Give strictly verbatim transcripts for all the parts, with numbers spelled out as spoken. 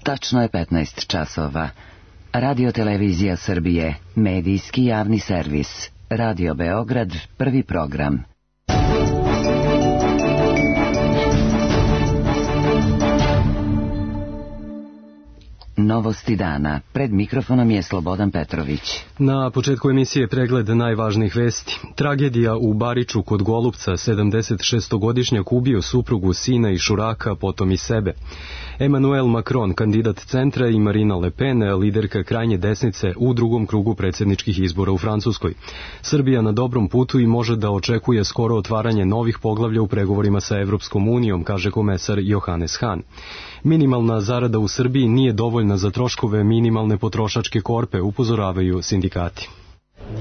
Tačno je petnaest časova. Radio Televizija Srbije, medijski javni servis. Radio Beograd, prvi program. Novosti dana. Pred mikrofonom je Slobodan Petrović. Na početku emisije pregled najvažnijih vesti. Tragedija u Bariču kod Golupca, sedamdesetšestogodišnjak ubio suprugu, sina i šuraka, potom i sebe. Emmanuel Macron, kandidat centra, i Marine Le Pen, liderka krajnje desnice u drugom krugu predsjedničkih izbora u Francuskoj. Srbija na dobrom putu i može da očekuje skoro otvaranje novih poglavlja u pregovorima sa Evropskom unijom, kaže komesar Johannes Hahn. Minimalna zarada u Srbiji nije dovoljna za troškove minimalne potrošačke korpe, upozoravaju sindikati.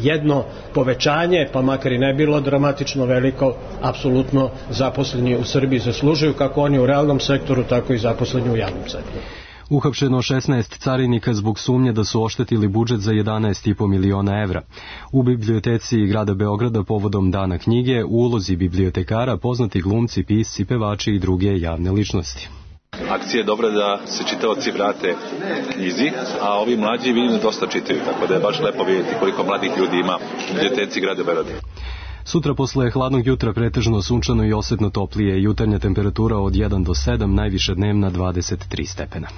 Jedno povećanje, pa makar i ne bilo dramatično veliko, apsolutno zaposleni u Srbiji zaslužuju, kako oni u realnom sektoru, tako i zaposleni u javnom sektoru. Uhapšeno šesnaest carinika zbog sumnje da su oštetili budžet za jedanaest i po miliona evra. U biblioteci grada Beograda povodom Dana knjige, u ulozi bibliotekara poznati glumci, pisci, pevači i druge javne ličnosti. Akcija je dobra da se čitaoci vrate knjizi, a ovi mlađi vidim dosta čitaju, tako da je baš lepo vidjeti koliko mladih ljudi ima u biblioteci grada Beograda. Sutra posle hladnog jutra pretežno sunčano i osetno toplije, jutarnja temperatura od jedan do sedam, najviša dnevna dvadeset tri stepena.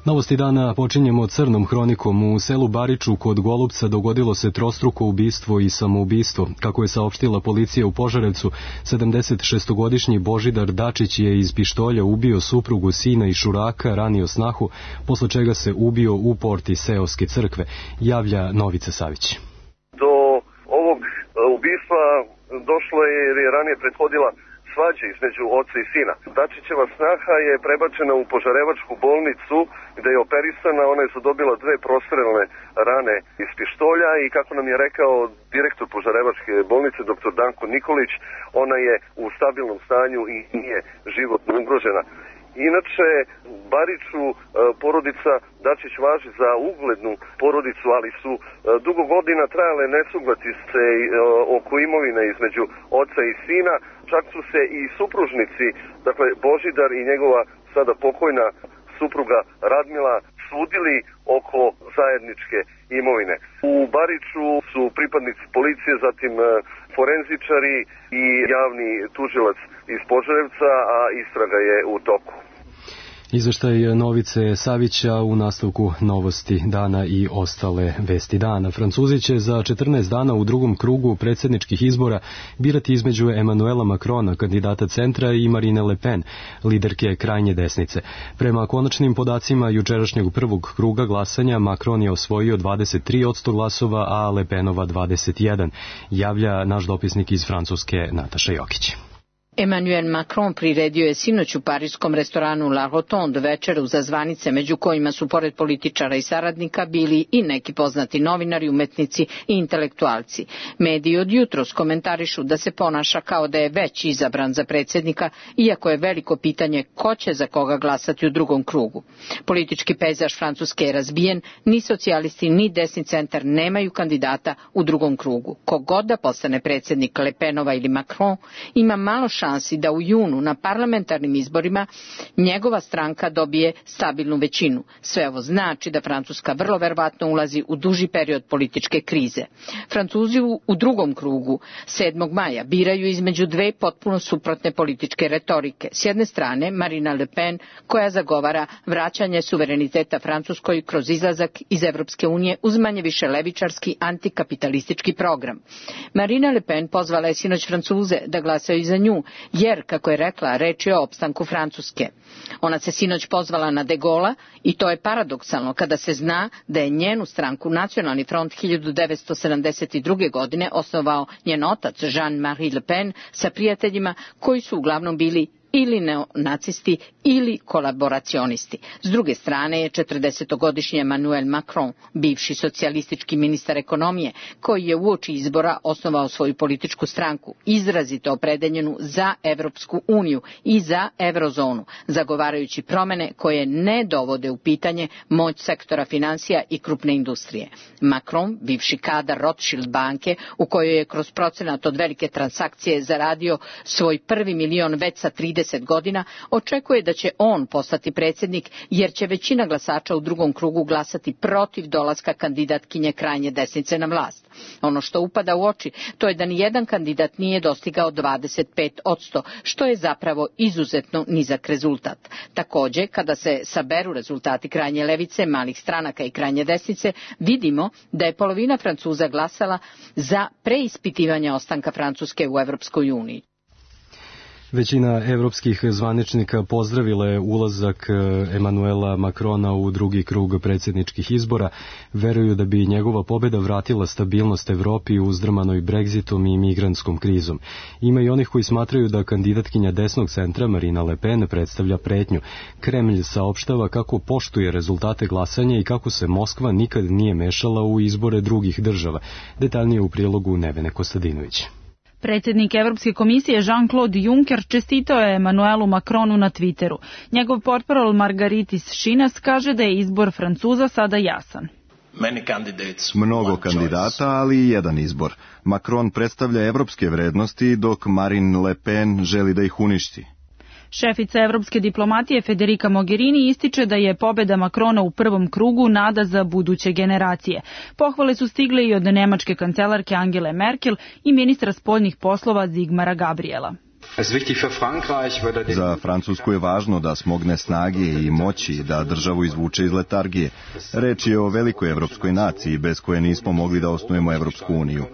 Novosti dana počinjemo crnom hronikom. U selu Bariču kod Golupca dogodilo se trostruko ubistvo i samoubistvo. Kako je saopštila policija u Požarevcu, sedamdesetšestogodišnji Božidar Dačić je iz pištolja ubio suprugu, sina i šuraka, ranio snahu, posle čega se ubio u porti seoske crkve, javlja Novica Savić. Do ovog ubistva došlo je jer je ranije prethodila svađa između oca i sina. Dačićeva snaha je prebačena u Požarevačku bolnicu gde je operisana, ona je zadobila dve prostrelne rane iz pištolja i kako nam je rekao direktor Požarevačke bolnice, doktor Danko Nikolić, ona je u stabilnom stanju i nije životno ugrožena. Inače, Bariču porodica Dačić važi za uglednu porodicu, ali su dugo godina trajale nesuglasice oko imovine između oca i sina. Čak su se i supružnici, dakle Božidar i njegova sada pokojna supruga Radmila, sudili oko zajedničke imovine. U Bariču su pripadnici policije, zatim forenzičari i javni tužilac iz Požarevca, a istraga je u toku. Izveštaj Novice Savića u nastavku novosti dana i ostale vesti dana. Francuzi će za četrnaest dana u drugom krugu predsjedničkih izbora birati između Emmanuela Macrona, kandidata centra, i Marine Le Pen, liderke krajnje desnice. Prema konačnim podacima jučerašnjeg prvog kruga glasanja, Macron je osvojio dvadeset tri posto glasova, a Le Penova dvadeset jedan, javlja naš dopisnik iz Francuske Nataša Jokić. Emmanuel Macron priredio je sinoć u parijskom restoranu La Rotonde večeru za zvanice, među kojima su pored političara i saradnika bili i neki poznati novinari, umetnici i intelektualci. Mediji od jutros komentarišu da se ponaša kao da je već izabran za predsjednika, iako je veliko pitanje ko će za koga glasati u drugom krugu. Politički pejzaž Francuske je razbijen, ni socijalisti ni desni centar nemaju kandidata u drugom krugu. Kogod da postane predsjednik, Le Penova ili Macron, ima malo šansi šansi da u junu na parlamentarnim izborima njegova stranka dobije stabilnu većinu. Sve ovo znači da Francuska vrlo verovatno ulazi u duži period političke krize. Francuzi u drugom krugu sedmog maja biraju između dve potpuno suprotne političke retorike. S jedne strane Marine Le Pen, koja zagovara vraćanje suvereniteta Francuskoj kroz izlazak iz Evropske unije uz manje više levičarski antikapitalistički program. Marine Le Pen pozvala je sinoć Francuze da glasaju za nju, jer, kako je rekla, reč je o opstanku Francuske. Ona se sinoć pozvala na De Gaulle'a i to je paradoksalno kada se zna da je njenu stranku Nacionalni front hiljadu devetsto sedamdeset druge. godine osnovao njen otac Jean-Marie Le Pen sa prijateljima koji su uglavnom bili ili neonacisti ili kolaboracionisti. S druge strane je četrdesetogodišnji Emmanuel Macron, bivši socijalistički ministar ekonomije, koji je uoči izbora osnovao svoju političku stranku, izrazito opredeljenu za Evropsku uniju i za eurozonu, zagovarajući promene koje ne dovode u pitanje moć sektora finansija i krupne industrije. Macron, bivši kadar Rothschild banke, u kojoj je kroz procenat od velike transakcije zaradio svoj prvi milion već sa trideset trideset godina, očekuje da će on postati predsjednik jer će većina glasača u drugom krugu glasati protiv dolaska kandidatkinje krajnje desnice na vlast. Ono što upada u oči, to je da nijedan kandidat nije dostigao dvadeset pet posto, što je zapravo izuzetno nizak rezultat. Također, kada se saberu rezultati krajnje levice, malih stranaka i krajnje desnice, vidimo da je polovina Francuza glasala za preispitivanje ostanka Francuske u Evropskoj uniji. Većina evropskih zvaničnika pozdravila je ulazak Emanuela Macrona u drugi krug predsjedničkih izbora, veruju da bi njegova pobjeda vratila stabilnost Evropi uzdrmanoj Brexitom i migrantskom krizom. Ima i onih koji smatraju da kandidatkinja desnog centra Marine Le Pen predstavlja pretnju. Kremlj saopštava kako poštuje rezultate glasanja i kako se Moskva nikad nije mešala u izbore drugih država. Detaljnije u prilogu Nevene Kostadinović. Predsjednik Evropske komisije Jean-Claude Juncker čestitao je Emanuelu Macronu na Twitteru. Njegov portparol Margaritis Schinas kaže da je izbor Francuza sada jasan. Mnogo kandidata, ali i jedan izbor. Macron predstavlja evropske vrednosti, dok Marine Le Pen želi da ih uništi. Šefica evropske diplomatije Federica Mogherini ističe da je pobjeda Macrona u prvom krugu nada za buduće generacije. Pohvale su stigle i od nemačke kancelarke Angele Merkel i ministra spoljnih poslova Zigmara Gabriela. Za Francusku je važno da smogne snage i moći da državu izvuče iz letargije. Reč je o velikoj evropskoj naciji bez koje nismo mogli da osnujemo Evropsku uniju.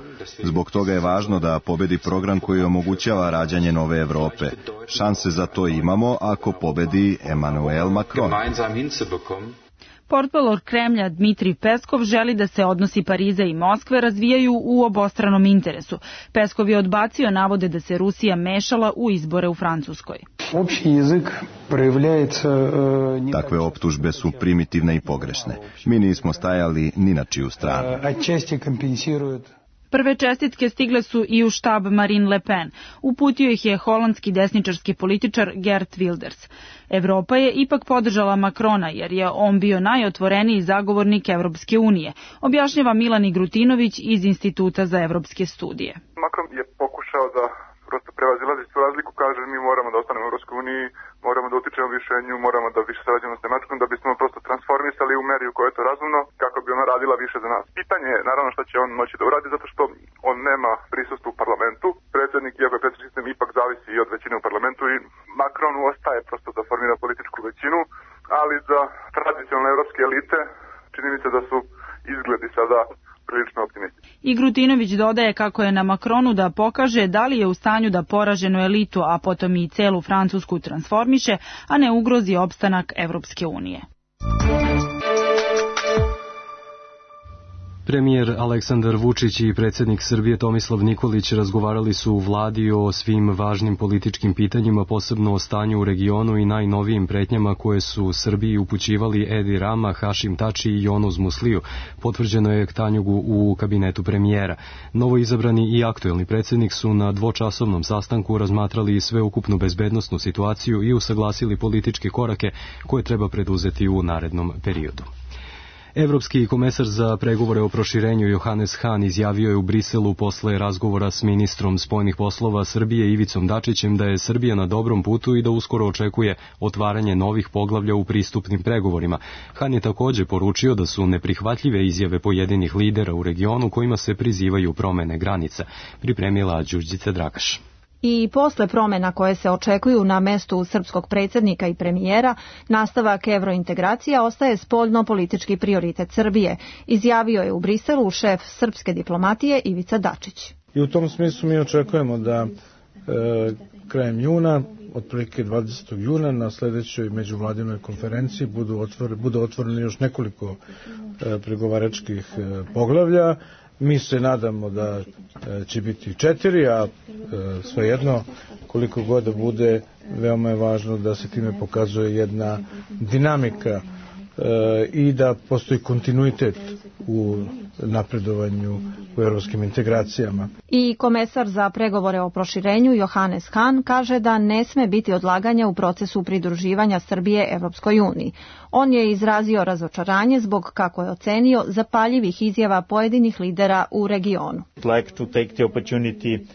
Zbog toga je važno da pobedi program koji omogućava rađanje nove Evrope. Šanse za to imamo ako pobedi Emmanuel Macron. Portparol Kremlja Dmitrij Peskov želi da se odnosi Pariza i Moskve razvijaju u obostranom interesu. Peskov je odbacio navode da se Rusija mešala u izbore u Francuskoj. Takve optužbe su primitivne i pogrešne. Mi nismo stajali ni na čiju stranu. Prve čestitke stigle su i u štab Marine Le Pen. Uputio ih je holandski desničarski političar Geert Wilders. Evropa je ipak podržala Macrona jer je on bio najotvoreniji zagovornik Evropske unije, objašnjava Milan Igrutinović iz Instituta za evropske studije. Macron je pokušao da prosto prevazilazi tu razliku, kaže mi moramo da ostanemo u Evropskoj uniji, moramo da utičemo više nju, moramo da više sarađujemo s Nemačkom, da bismo prosto transformisali u meri u kojoj je to razumno, kako bi ona radila više za nas. Pitanje je naravno šta će on moći da uradi, zato što on nema prisustvo u parlamentu. Predsjednik, iako je predsjednički sistem, ipak zavisi i od većine u parlamentu i Macron ostaje prosto da formira političku većinu, ali za tradicionalne evropske elite čini mi se da su izgledi sada prilično optimistični. Igrutinović dodaje kako je na Macronu da pokaže da li je u stanju da poraženu elitu, a potom i celu Francusku transformiše, a ne ugrozi opstanak Evropske unije. Premijer Aleksandar Vučić i predsjednik Srbije Tomislav Nikolić razgovarali su u vladi o svim važnim političkim pitanjima, posebno o stanju u regionu i najnovijim pretnjama koje su Srbiji upućivali Edi Rama, Hašim Tači i Jonuz Musliju, potvrđeno je Tanjugu u kabinetu premijera. Novo izabrani i aktuelni predsjednik su na dvočasovnom sastanku razmatrali sveukupnu bezbednosnu situaciju i usaglasili političke korake koje treba preduzeti u narednom periodu. Evropski komesar za pregovore o proširenju Johannes Hahn izjavio je u Briselu posle razgovora s ministrom spoljnih poslova Srbije Ivicom Dačićem da je Srbija na dobrom putu i da uskoro očekuje otvaranje novih poglavlja u pristupnim pregovorima. Hahn je također poručio da su neprihvatljive izjave pojedinih lidera u regionu kojima se prizivaju promene granica. Pripremila Đurđica Drakaš. I posle promjena koje se očekuju na mestu srpskog predsjednika i premijera, nastavak evrointegracija ostaje spoljno-politički prioritet Srbije, izjavio je u Briselu šef srpske diplomatije Ivica Dačić. I u tom smislu mi očekujemo da e, krajem juna, otprilike dvadesetog juna, na sljedećoj međuvladinoj konferenciji budu, otvor, budu otvoreni još nekoliko e, pregovaračkih e, poglavlja. Mi se nadamo da će biti četiri, a svejedno koliko god da bude, veoma je važno da se time pokazuje jedna dinamika i da postoji kontinuitet u napredovanju u evropskim integracijama. I komesar za pregovore o proširenju Johannes Hahn kaže da ne sme biti odlaganja u procesu pridruživanja Srbije Evropskoj uniji. On je izrazio razočaranje zbog, kako je ocenio, zapaljivih izjava pojedinih lidera u regionu.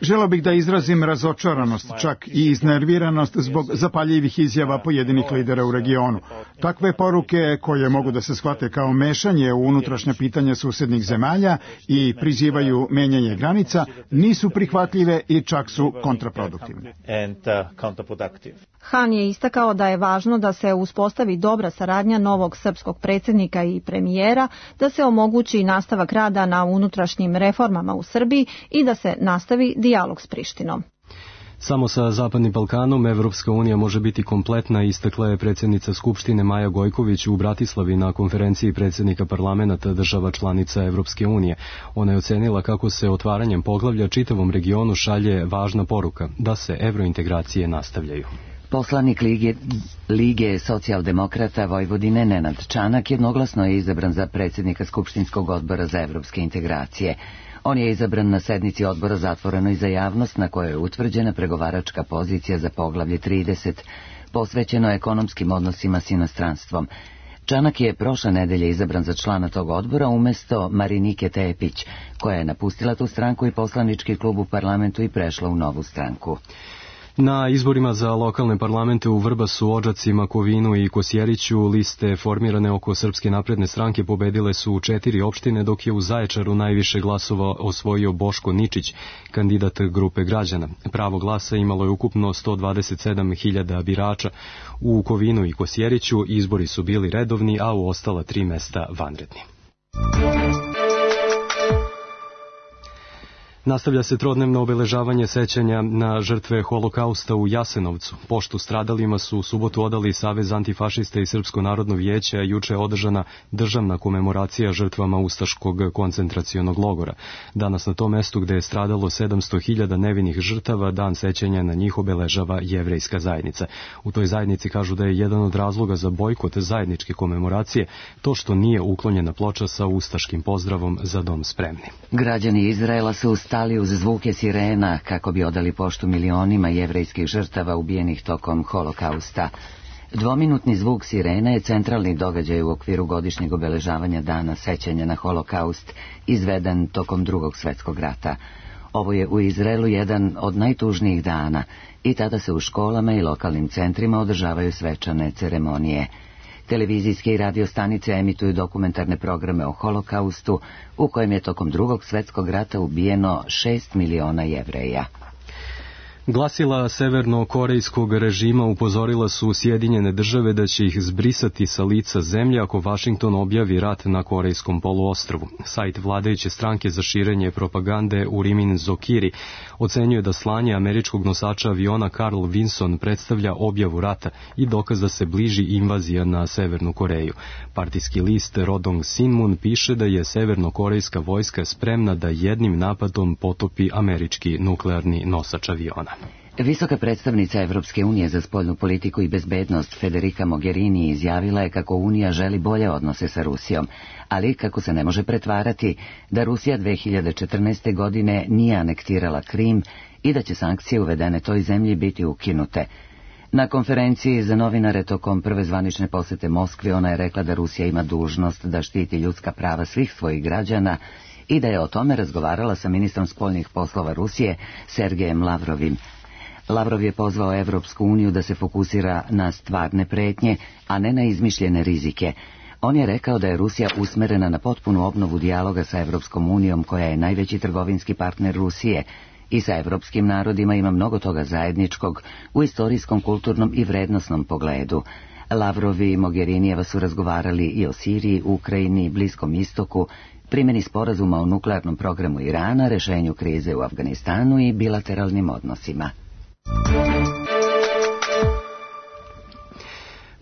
Želeo bih da izrazim razočaranost, čak i iznerviranost zbog zapaljivih izjava pojedinih lidera u regionu. Takve poruke koje mogu da se shvate kao mešanje u unutrašnja pitanja susednih zemalja i prizivaju menjanje granica, nisu prihvatljive i čak su kontraproduktivne. Han je istakao da je važno da se uspostavi dobra saradnja novog srpskog predsjednika i premijera, da se omogući nastavak rada na unutrašnjim reformama u Srbiji i da se nastavi dijalog s Prištinom. Samo sa Zapadnim Balkanom Evropska unija može biti kompletna, istakla je predsjednica Skupštine Maja Gojković u Bratislavi na konferenciji predsjednika parlamenata država članica Evropske unije. Ona je ocenila kako se otvaranjem poglavlja čitavom regionu šalje važna poruka da se evrointegracije nastavljaju. Poslanik Lige, Lige socijaldemokrata Vojvodine Nenad Čanak jednoglasno je izabran za predsjednika Skupštinskog odbora za evropske integracije. On je izabran na sednici odbora zatvorenoj za javnost na kojoj je utvrđena pregovaračka pozicija za poglavlje trideset, posvećeno ekonomskim odnosima s inostranstvom. Čanak je prošle nedelje izabran za člana tog odbora umjesto Marinike Tepić, koja je napustila tu stranku i poslanički klub u parlamentu i prešla u novu stranku. Na izborima za lokalne parlamente u Vrbasu, Odžacima, Kovinu i Kosjeriću liste formirane oko Srpske napredne stranke pobedile su u četiri opštine, dok je u Zaječaru najviše glasova osvojio Boško Ničić, kandidat grupe građana. Pravo glasa imalo je ukupno sto dvadeset sedam hiljada birača. U Kovinu i Kosjeriću izbori su bili redovni, a u ostala tri mesta vanredni. Nastavlja se trodnevno obeležavanje sećanja na žrtve holokausta u Jasenovcu. Poštu stradalima su u subotu odali Savez antifašista i Srpsko narodno vijeće, a juče je održana državna komemoracija žrtvama ustaškog koncentracionog logora. Danas na tom mestu gde je stradalo sedamsto hiljada nevinih žrtava, dan sećanja na njih obeležava jevrejska zajednica. U toj zajednici kažu da je jedan od razloga za bojkot zajedničke komemoracije to što nije uklonjena ploča sa ustaškim pozdravom Za dom spremni. Građani Izraela su stali uz zvuke sirena kako bi odali poštu milionima jevrejskih žrtava ubijenih tokom holokausta. Dvominutni zvuk sirena je centralni događaj u okviru godišnjeg obeležavanja dana sećanja na holokaust, izveden tokom Drugog svjetskog rata. Ovo je u Izraelu jedan od najtužnijih dana i tada se u školama i lokalnim centrima održavaju svečane ceremonije. Televizijske i radio stanice emituju dokumentarne programe o holokaustu, u kojem je tokom Drugog svjetskog rata ubijeno šest miliona Jevreja. Glasila severno-korejskog režima upozorila su Sjedinjene države da će ih zbrisati sa lica zemlje ako Vašington objavi rat na Korejskom poluostrvu. Sajt vladajuće stranke za širenje propagande Urimin Zokiri ocenjuje da slanje američkog nosača aviona Carl Vinson predstavlja objavu rata i dokaz da se bliži invazija na Severnu Koreju. Partijski list Rodong Sinmun piše da je severno-korejska vojska spremna da jednim napadom potopi američki nuklearni nosač aviona. Visoka predstavnica Evropske unije za spoljnu politiku i bezbednost Federica Mogherini izjavila je kako Unija želi bolje odnose sa Rusijom, ali kako se ne može pretvarati da Rusija dve hiljade četrnaeste. godine nije anektirala Krim i da će sankcije uvedene toj zemlji biti ukinute. Na konferenciji za novinare tokom prve zvanične posete Moskvi ona je rekla da Rusija ima dužnost da štiti ljudska prava svih svojih građana i da je o tome razgovarala sa ministrom spoljnih poslova Rusije Sergejem Lavrovim. Lavrov je pozvao Evropsku uniju da se fokusira na stvarne pretnje, a ne na izmišljene rizike. On je rekao da je Rusija usmerena na potpunu obnovu dijaloga sa Evropskom unijom, koja je najveći trgovinski partner Rusije, i sa evropskim narodima ima mnogo toga zajedničkog u istorijskom, kulturnom i vrednosnom pogledu. Lavrovi i Mogherinijeva su razgovarali i o Siriji, Ukrajini, Bliskom istoku, primjeni sporazuma o nuklearnom programu Irana, rešenju krize u Afganistanu i bilateralnim odnosima.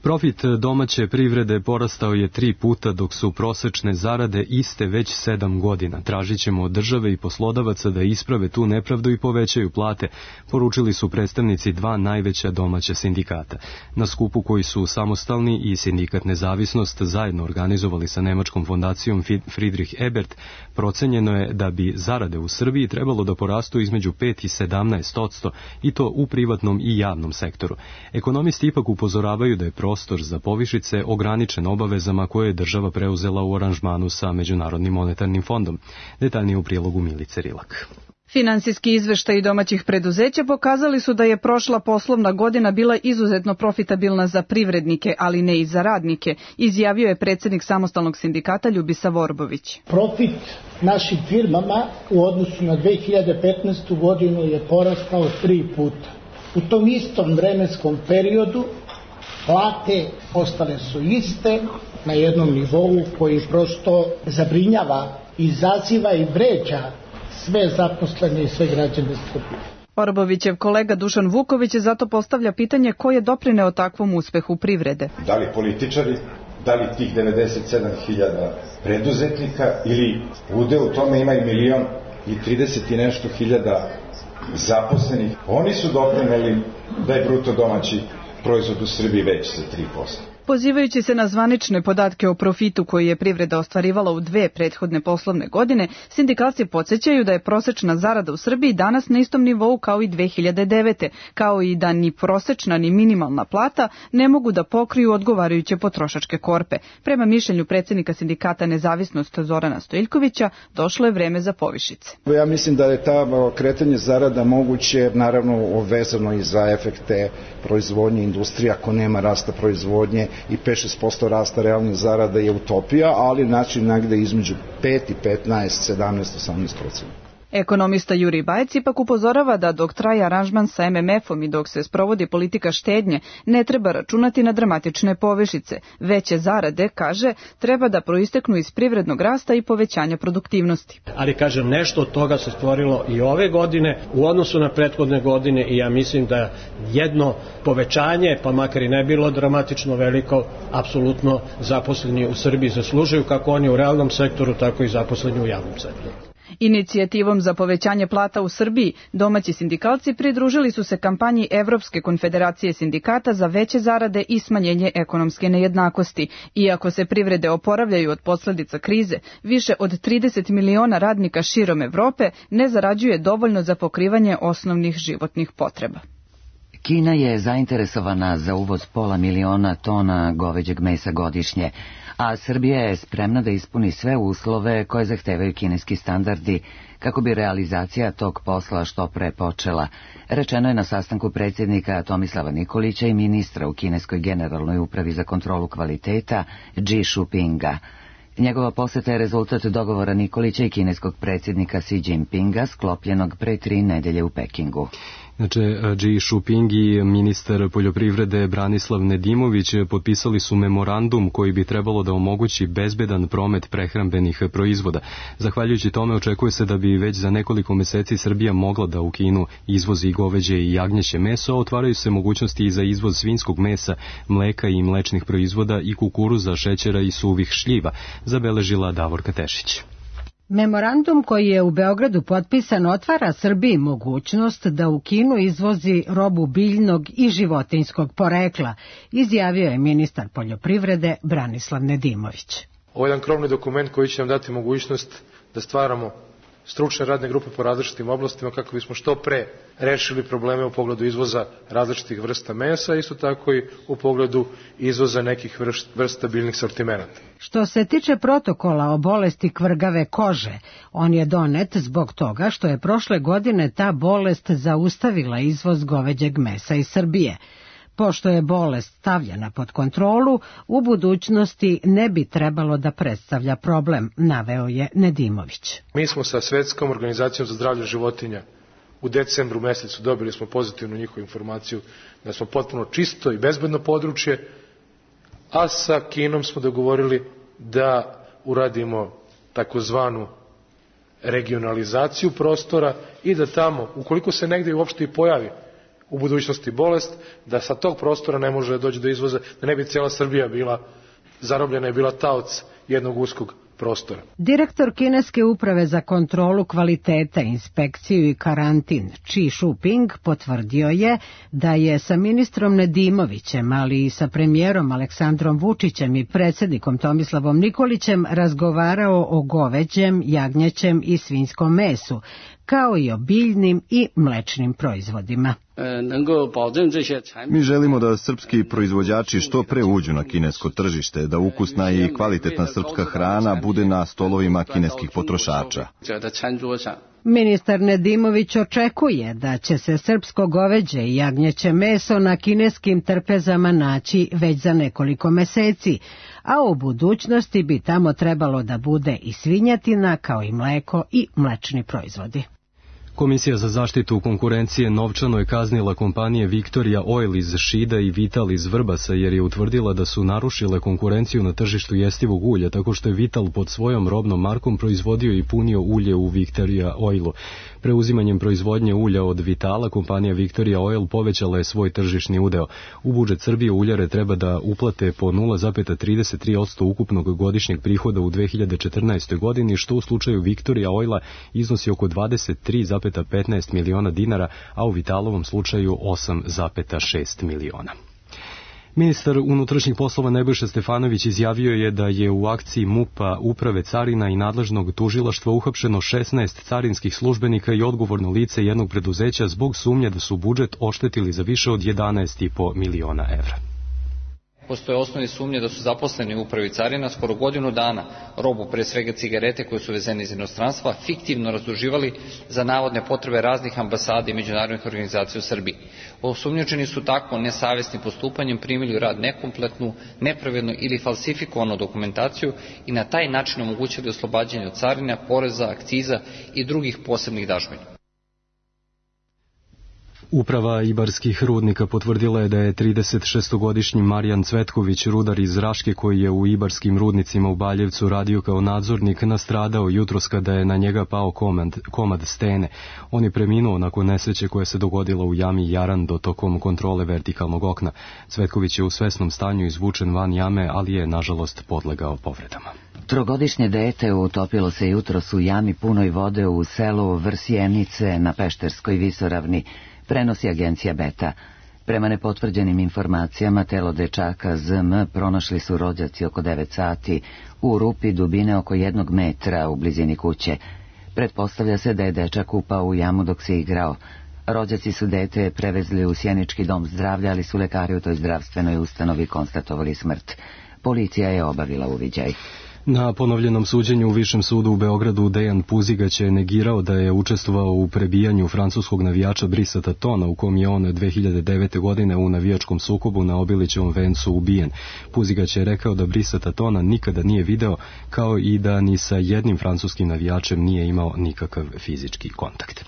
Profit domaće privrede porastao je tri puta, dok su prosečne zarade iste već sedam godina. Tražit ćemo od države i poslodavaca da isprave tu nepravdu i povećaju plate, poručili su predstavnici dva najveća domaća sindikata. Na skupu koji su Samostalni i Sindikat Nezavisnost zajedno organizovali sa nemačkom fondacijom Friedrich Ebert, procenjeno je da bi zarade u Srbiji trebalo da porastu između pet i sedamnaest odsto i to u privatnom i javnom sektoru. Ekonomisti ipak upozoravaju da je prostor za povišice ograničen obavezama koje je država preuzela u aranžmanu sa Međunarodnim monetarnim fondom. Detaljnije u prilogu Milice Rilak. Finansijski izveštaji domaćih preduzeća pokazali su da je prošla poslovna godina bila izuzetno profitabilna za privrednike, ali ne i za radnike, izjavio je predsjednik Samostalnog sindikata Ljubisa Vorbović. Profit našim firmama u odnosu na dve hiljade petnaestu godinu je porastao tri puta. U tom istom vremenskom periodu plate ostale su iste na jednom nivou koji prosto zabrinjava, izaziva i vređa sve zaposlene i sve građane Srbije. Orbovićev kolega Dušan Vuković zato postavlja pitanje ko je doprineo takvom uspehu privrede. Da li političari, da li tih devedeset sedam hiljada preduzetnika ili udeo u tome ima i milion i trideset i nešto hiljada zaposlenih. Oni su doprineli da je bruto domaći proizvod u Srbiji veći za tri posto. Pozivajući se na zvanične podatke o profitu koji je privreda ostvarivala u dve prethodne poslovne godine, sindikalci podsjećaju da je prosečna zarada u Srbiji danas na istom nivou kao i dve hiljade devete, kao i da ni prosečna ni minimalna plata ne mogu da pokriju odgovarajuće potrošačke korpe. Prema mišljenju predsjednika sindikata Nezavisnost Zorana Stojiljkovića, došlo je vreme za povišice. Ja mislim da je ta kretanje zarada moguće, naravno vezano i za efekte proizvodnje industrije, ako nema rasta proizvodnje i pet do šest posto rasta realnih zarada je utopija, ali znači negde između pet i petnaest, sedamnaest, osamnaest procenta. Ekonomista Jurij Bajec ipak upozorava da dok traje aranžman sa em em efom i dok se sprovodi politika štednje, ne treba računati na dramatične povišice. Veće zarade, kaže, treba da proisteknu iz privrednog rasta i povećanja produktivnosti. Ali, kažem, nešto od toga se stvorilo i ove godine u odnosu na prethodne godine i ja mislim da jedno povećanje, pa makar i ne bilo dramatično veliko, apsolutno zaposleni u Srbiji zaslužuju, kako oni u realnom sektoru, tako i zaposleni u javnom sektoru. Inicijativom za povećanje plata u Srbiji domaći sindikalci pridružili su se kampanji Evropske konfederacije sindikata za veće zarade i smanjenje ekonomske nejednakosti. Iako se privrede oporavljaju od posljedica krize, više od trideset miliona radnika širom Evrope ne zarađuje dovoljno za pokrivanje osnovnih životnih potreba. Kina je zainteresovana za uvoz pola miliona tona goveđeg mesa godišnje, a Srbija je spremna da ispuni sve uslove koje zahtevaju kineski standardi kako bi realizacija tog posla što pre počela, rečeno je na sastanku predsjednika Tomislava Nikolića i ministra u kineskoj generalnoj upravi za kontrolu kvaliteta Xi Jinpinga. Njegova poseta je rezultat dogovora Nikolića i kineskog predsjednika Xi Jinpinga sklopljenog pre tri nedelje u Pekingu. Znači, Xi Jinping i ministar poljoprivrede Branislav Nedimović potpisali su memorandum koji bi trebalo da omogući bezbedan promet prehrambenih proizvoda. Zahvaljujući tome očekuje se da bi već za nekoliko meseci Srbija mogla da u Kinu izvozi goveđe i jagnjeće meso, a otvaraju se mogućnosti i za izvoz svinjskog mesa, mleka i mlečnih proizvoda i kukuruza, šećera i suvih šljiva, zabeležila Davorka Tešić. Memorandum koji je u Beogradu potpisan otvara Srbiji mogućnost da u Kinu izvozi robu biljnog i životinjskog porekla, izjavio je ministar poljoprivrede Branislav Nedimović. Ovo je jedan krovni dokument koji će nam dati mogućnost da stvaramo stručne radne grupe po različitim oblastima kako bismo što pre rešili probleme u pogledu izvoza različitih vrsta mesa, isto tako i u pogledu izvoza nekih vrsta biljnih sortimenata. Što se tiče protokola o bolesti kvrgave kože, on je donet zbog toga što je prošle godine ta bolest zaustavila izvoz goveđeg mesa iz Srbije. Pošto je bolest stavljena pod kontrolu, u budućnosti ne bi trebalo da predstavlja problem, naveo je Nedimović. Mi smo sa Svetskom organizacijom za zdravlje životinja u decembru mesecu dobili smo pozitivnu njihovu informaciju da smo potpuno čisto i bezbedno područje, a sa Kinom smo dogovorili da uradimo takozvanu regionalizaciju prostora i da tamo, ukoliko se negdje uopšte i pojavi u budućnosti bolest, da sa tog prostora ne može doći do izvoza, da ne bi cijela Srbija bila zarobljena i bila taoc jednog uskog prostora. Direktor Kineske uprave za kontrolu kvaliteta, inspekciju i karantin Chi Shuping potvrdio je da je sa ministrom Nedimovićem, ali i sa premijerom Aleksandrom Vučićem i predsjednikom Tomislavom Nikolićem razgovarao o goveđem, jagnjećem i svinjskom mesu, kao i o biljnim i mlečnim proizvodima. Mi želimo da srpski proizvođači što pre uđu na kinesko tržište, da ukusna i kvalitetna srpska hrana bude na stolovima kineskih potrošača. Ministar Nedimović očekuje da će se srpsko goveđe i jagnjeće meso na kineskim trpezama naći već za nekoliko meseci, a u budućnosti bi tamo trebalo da bude i svinjetina kao i mleko i mlečni proizvodi. Komisija za zaštitu konkurencije novčano je kaznila kompanije Victoria Oil iz Šida i Vital iz Vrbasa jer je utvrdila da su narušile konkurenciju na tržištu jestivog ulja tako što je Vital pod svojom robnom markom proizvodio i punio ulje u Victoria Oilu. Preuzimanjem proizvodnje ulja od Vitala, kompanija Victoria Oil povećala je svoj tržišni udeo. U budžet Srbije uljare treba da uplate po nula zarez trideset tri posto ukupnog godišnjeg prihoda u dve hiljade četrnaestoj godini, što u slučaju Victoria Oila iznosi oko dvadeset tri zarez petnaest miliona dinara, a u Vitalovom slučaju osam zarez šest miliona. Ministar unutrašnjih poslova Nebojša Stefanović izjavio je da je u akciji MUP-a, Uprave carina i nadležnog tužilaštva uhapšeno šesnaest carinskih službenika i odgovorno lice jednog preduzeća zbog sumnje da su budžet oštetili za više od jedanaest zarez pet miliona evra. Postoje osnovne sumnje da su zaposleni u upravi carina skoro godinu dana robu, pre svega cigarete koje su vezene iz inostranstva, fiktivno razduživali za navodne potrebe raznih ambasada i međunarodnih organizacija u Srbiji. Osumnjičeni su tako nesavesnim postupanjem primili u rad nekompletnu, nepravednu ili falsifikovanu dokumentaciju i na taj način omogućili oslobađanje od carina, poreza, akciza i drugih posebnih dažbina. Uprava Ibarskih rudnika potvrdila je da je tridesetšestogodišnji Marijan Cvetković, rudar iz Raške koji je u Ibarskim rudnicima u Baljevcu radio kao nadzornik, nastradao jutros kada je na njega pao komad, komad stene. On je preminuo nakon nesreće koja se dogodila u jami Jarando tokom kontrole vertikalnog okna. Cvetković je u svesnom stanju izvučen van jame, ali je nažalost podlegao povredama. Trogodišnje dete utopilo se jutros u jami punoj vode u selu Vrsjenice na Pešterskoj visoravni, prenosi agencija Beta. Prema nepotvrđenim informacijama, telo dečaka Z M pronašli su rođaci oko devet sati u rupi dubine oko jednog metra u blizini kuće. Pretpostavlja se da je dečak upao u jamu dok se igrao. Rođaci su dete prevezli u Sjenički dom zdravlja, ali su lekari u toj zdravstvenoj ustanovi konstatovali smrt. Policija je obavila uviđaj. Na ponovljenom suđenju u Višem sudu u Beogradu Dejan Puzigać je negirao da je učestvovao u prebijanju francuskog navijača Brisa Tatona, u kom je on dve hiljade devete. godine u navijačkom sukobu na Obilićevom vencu ubijen. Puzigać je rekao da Brisa Tatona nikada nije video, kao i da ni sa jednim francuskim navijačem nije imao nikakav fizički kontakt.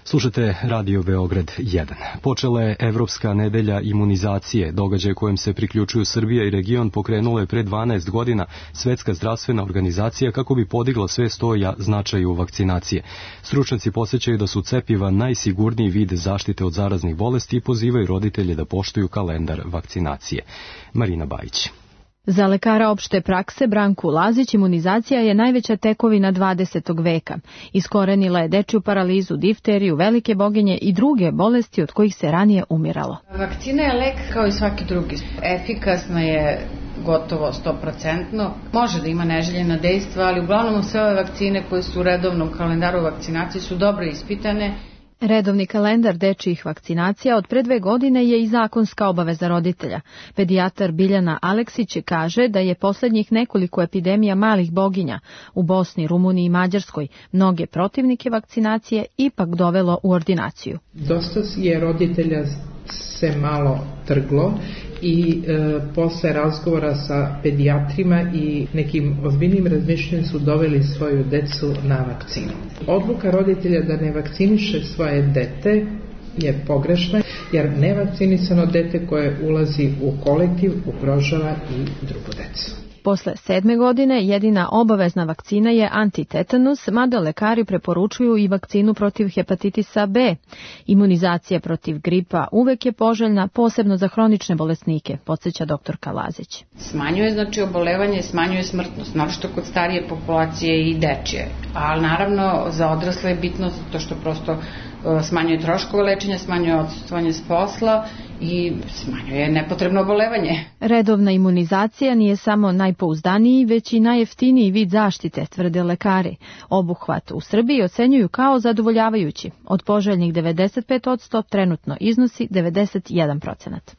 Slušate Radio Beograd jedan. Počela je Evropska nedelja imunizacije, događaj kojem se priključuju Srbija i region pokrenula je pre dvanaest godina Svetska zdravstvena organizacija kako bi podigla svest o značaju vakcinacije. Stručnjaci podsjećaju da su cepiva najsigurniji vid zaštite od zaraznih bolesti i pozivaju roditelje da poštuju kalendar vakcinacije. Marina Bajić. Za lekara opšte prakse Branku Lazić imunizacija je najveća tekovina dvadesetog veka. Iskorenila je dečju paralizu, difteriju, velike boginje i druge bolesti od kojih se ranije umiralo. Vakcina je lek kao i svaki drugi. Efikasna je gotovo sto posto. Može da ima neželjena dejstva, ali uglavnom sve ove vakcine koje su u redovnom kalendaru vakcinacije su dobro ispitane. Redovni kalendar dečjih vakcinacija od pre dve godine je i zakonska obaveza roditelja. Pedijatar Biljana Aleksić kaže da je poslednjih nekoliko epidemija malih boginja u Bosni, Rumuniji i Mađarskoj mnoge protivnike vakcinacije ipak dovelo u ordinaciju. Dosta je roditelja se malo trglo i e, posle razgovora sa pedijatrima i nekim ozbiljnim razmišljanjem su doveli svoju decu na vakcinu. Odluka roditelja da ne vakciniše svoje dete je pogrešna, jer nevakcinisano dete koje ulazi u kolektiv ugrožava i drugu decu. Posle sedme godine jedina obavezna vakcina je antitetanus, mada lekari preporučuju i vakcinu protiv hepatitisa B. Imunizacija protiv gripa uvek je poželjna, posebno za hronične bolesnike, podsjeća doktorka Lazić. Smanjuje znači obolevanje, smanjuje smrtnost, naročito kod starije populacije i dečije. Ali naravno za odrasle je bitno zato što prosto smanjuje troškove lečenja, smanjuje odsustvovanje s posla i smanjuje nepotrebno obolevanje. Redovna imunizacija nije samo najpouzdaniji, već i najjeftiniji vid zaštite, tvrde lekari. Obuhvat u Srbiji ocenjuju kao zadovoljavajući. Od poželjnih devedeset pet posto trenutno iznosi devedeset jedan procenat.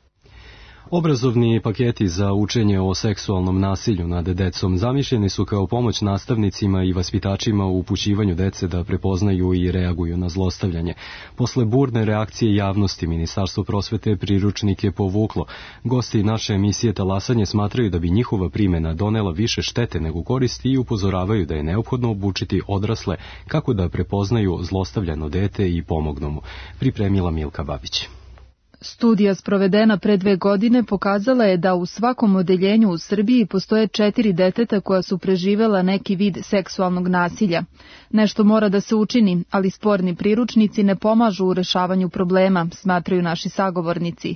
Obrazovni paketi za učenje o seksualnom nasilju nad decom zamišljeni su kao pomoć nastavnicima i vaspitačima u upućivanju dece da prepoznaju i reaguju na zlostavljanje. Posle burne reakcije javnosti, Ministarstvo prosvete priručnike povuklo. Gosti naše emisije Talasanje smatraju da bi njihova primjena donela više štete nego koristi i upozoravaju da je neophodno obučiti odrasle kako da prepoznaju zlostavljano dete i pomognu mu. Pripremila Milka Babić. Studija sprovedena pre dve godine pokazala je da u svakom odeljenju u Srbiji postoje četiri deteta koja su preživela neki vid seksualnog nasilja. Nešto mora da se učini, ali sporni priručnici ne pomažu u rešavanju problema, smatraju naši sagovornici.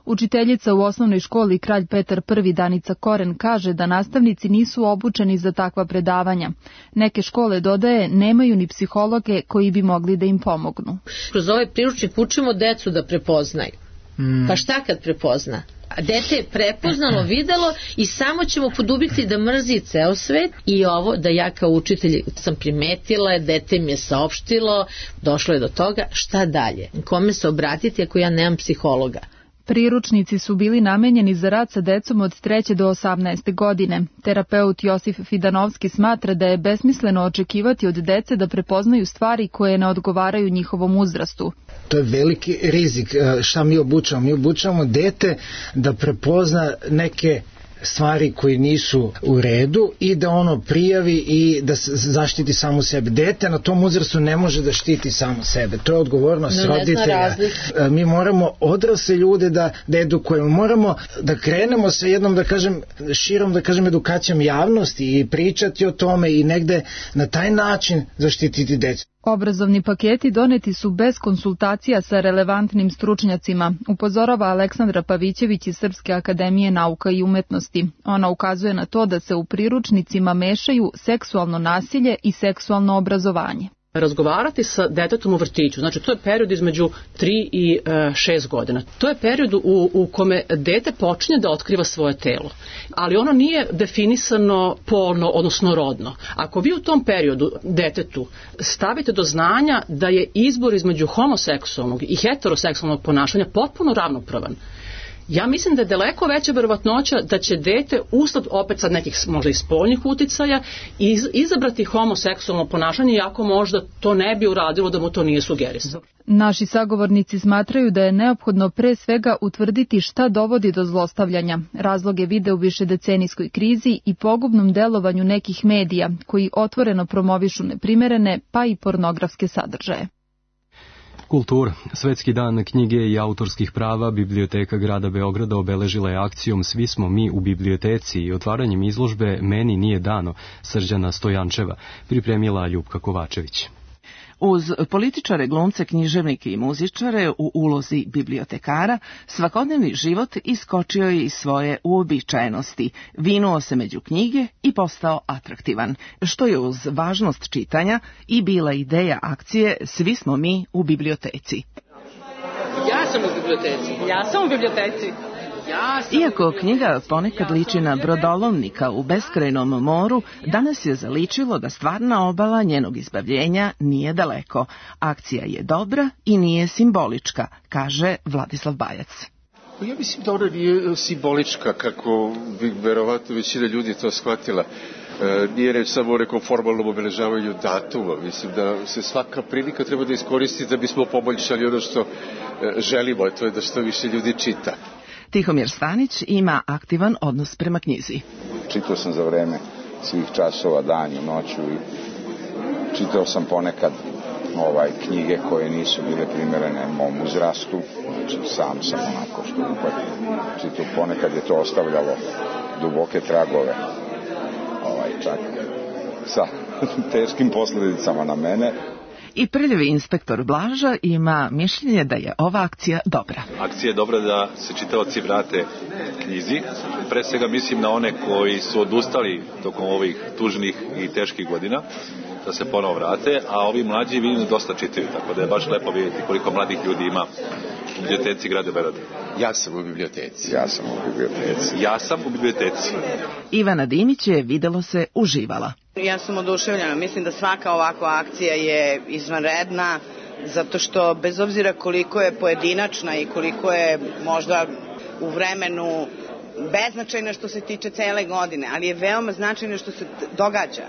Učiteljica u osnovnoj školi Kralj Petar Prvi Danica Koren kaže da nastavnici nisu obučeni za takva predavanja. Neke škole, dodaje, nemaju ni psihologe koji bi mogli da im pomognu. Kroz ovaj priručnik učimo decu da prepoznaju. Mm. Pa šta kad prepozna? Dete je prepoznalo, videlo i samo ćemo podubiti da mrzi ceo svet. I ovo da ja kao učitelj sam primetila, dete mi je saopštilo, došlo je do toga, šta dalje? Kome se obratiti ako ja nemam psihologa? Priručnici su bili namenjeni za rad sa decom od treće do osamnaeste godine. Terapeut Josif Fidanovski smatra da je besmisleno očekivati od dece da prepoznaju stvari koje ne odgovaraju njihovom uzrastu. To je veliki rizik. Šta mi obučavamo? Mi obučavamo dete da prepozna neke stvari koji nisu u redu i da ono prijavi i da zaštiti samo sebe. Dete na tom uzrastu ne može da štiti samo sebe. To je odgovornost no, roditelja. Mi moramo odrasle ljude da, da edukujemo. Moramo da krenemo sa jednom, da kažem, širom, da kažem, edukacijom javnosti i pričati o tome i negde na taj način zaštititi decu. Obrazovni paketi doneti su bez konsultacija sa relevantnim stručnjacima, upozorava Aleksandra Pavićević iz Srpske akademije nauka i umetnosti. Ona ukazuje na to da se u priručnicima mešaju seksualno nasilje i seksualno obrazovanje. Razgovarati sa detetom u vrtiću, znači to je period između tri i šest godina. To je period u, u kome dete počinje da otkriva svoje telo, ali ono nije definisano polno, odnosno rodno. Ako vi u tom periodu detetu stavite do znanja da je izbor između homoseksualnog i heteroseksualnog ponašanja potpuno ravnopravan, ja mislim da je daleko veća verovatnoća da će dete usled opet sad nekih možda i spoljnih uticaja iz, izabrati homoseksualno ponašanje, iako možda to ne bi uradilo da mu to nije sugerisano. Naši sagovornici smatraju da je neophodno pre svega utvrditi šta dovodi do zlostavljanja. Razloge vide u višedecenijskoj krizi i pogubnom delovanju nekih medija koji otvoreno promovišu neprimerene pa i pornografske sadržaje. Kultura. Svetski dan knjige i autorskih prava Biblioteka grada Beograda obeležila je akcijom Svi smo mi u biblioteci i otvaranjem izložbe Meni nije dano Srđana Stojančeva, pripremila Ljupka Kovačević. Uz političare, glumce, književnike i muzičare u ulozi bibliotekara, svakodnevni život iskočio je iz svoje uobičajenosti, vinuo se među knjige i postao atraktivan, što je uz važnost čitanja i bila ideja akcije Svi smo mi u biblioteci. Ja sam u biblioteci. Ja sam u biblioteci. Iako knjiga ponekad liči na brodolovnika u beskrajnom moru, danas je zaličilo da stvarna obala njenog izbavljenja nije daleko. Akcija je dobra i nije simbolička, kaže Vladislav Bajac. Ja mislim da ona nije simbolička, kako bi verovatno većina ljudi to shvatila. E, nije reč samo o nekom formalnom obeležavanju datuma. Mislim da se svaka prilika treba da iskoristi da bismo poboljšali ono što e, želimo, a to je da što više ljudi čita. Tihomir Stanić ima aktivan odnos prema knjizi. Čitao sam za vreme svih časova, danju, noću i čitao sam ponekad ovaj, knjige koje nisu bile primerene mom uzrastu. Znači, sam sam onako što upad čitao. Ponekad je to ostavljalo duboke tragove čak sa teškim posledicama na mene. I prljavi inspektor Blaža ima mišljenje da je ova akcija dobra. Akcija je dobra da se čitaoci vrate knjizi. Pre svega mislim na one koji su odustali tokom ovih tužnih i teških godina, da se ponovo vrate, a ovi mlađi vidim da dosta čitaju, tako da je baš lepo vidjeti koliko mladih ljudi ima u biblioteci grada Beograda. Ja sam u biblioteci. Ja sam u biblioteci. Ja sam u biblioteci. Ivana Dimić je, videlo se, uživala. Ja sam oduševljena. Mislim da svaka ovakva akcija je izvanredna, zato što bez obzira koliko je pojedinačna i koliko je možda u vremenu beznačajna što se tiče cele godine, ali je veoma značajno što se događa.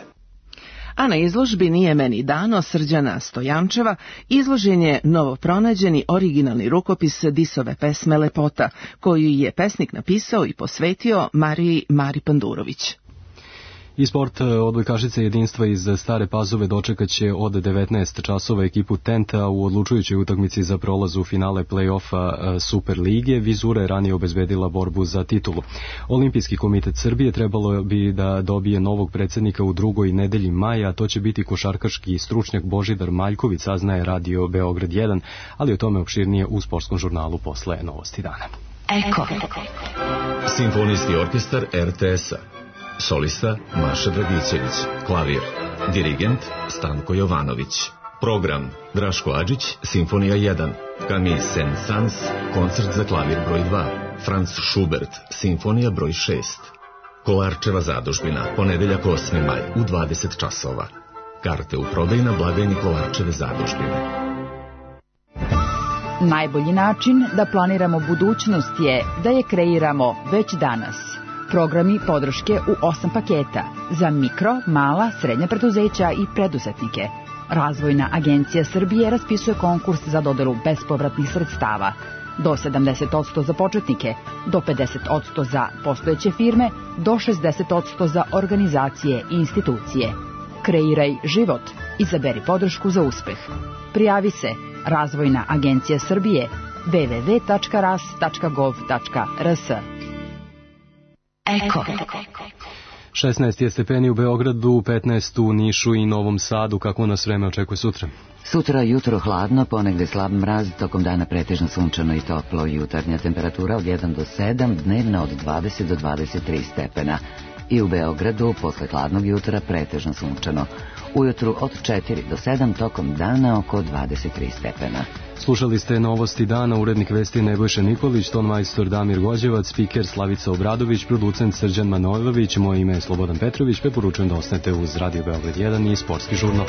A na izložbi Nije meni dano Srđana Stojančeva izložen je novopronađeni originalni rukopis Disove pesme Lepota, koju je pesnik napisao i posvetio Mariji Mari Pandurović. I sport, odbojkašice jedinstva iz Stare Pazove dočekaće od devetnaest časova ekipu Tenta u odlučujućoj utakmici za prolaz u finale play-offa Super lige. Vizura je ranije obezbedila borbu za titulu. Olimpijski komitet Srbije trebalo bi da dobije novog predsednika u drugoj nedelji maja, a to će biti košarkaški stručnjak Božidar Maljković, saznaje Radio Beograd jedan, ali o tome opširnije u sportskom žurnalu posle Novosti dana. Eko. Simfonijski orkestar er te es-a. Solista Maša Dragićević, klavir, dirigent Stanko Jovanović. Program Draško Adžić, Simfonija jedan, Camille Saint-Saëns, koncert za klavir broj dva, Franz Schubert, Simfonija broj šest. Kolarčeva zadužbina, ponedeljak osmi maj u dvadeset časova. Karte u prodaju na blagajni Kolarčeve zadužbine. Najbolji način da planiramo budućnost je da je kreiramo već danas. Programi podrške u osam paketa za mikro, mala, srednja preduzeća i preduzetnike. Razvojna agencija Srbije raspisuje konkurs za dodelu bespovratnih sredstava. Do sedamdeset posto za početnike, do pedeset posto za postojeće firme, do šezdeset posto za organizacije i institucije. Kreiraj život. Izaberi podršku za uspeh. Prijavi se Razvojna agencija Srbije w w w tačka ras tačka gov tačka r s. Eko. šesnaest je stepeni u Beogradu, petnaest u Nišu i Novom Sadu. Kako nas vreme očekuje sutra? Sutra jutro hladno, ponegde slab mraz, tokom dana pretežno sunčano i toplo. Jutarnja temperatura od jedan do sedam, dnevna od dvadeset do dvadeset tri stepena. I u Beogradu posle hladnog jutra pretežno sunčano. Ujutru od četiri do sedam, tokom dana oko dvadeset tri stepena. Slušali ste Novosti dana, urednik vesti Nebojša Nikolić, tonmajstor Damir Gođevac, spiker Slavica Obradović, producent Srđan Manojlović, moje ime je Slobodan Petrović, preporučujem da ostanete uz Radio Beograd jedan i sportski žurnal.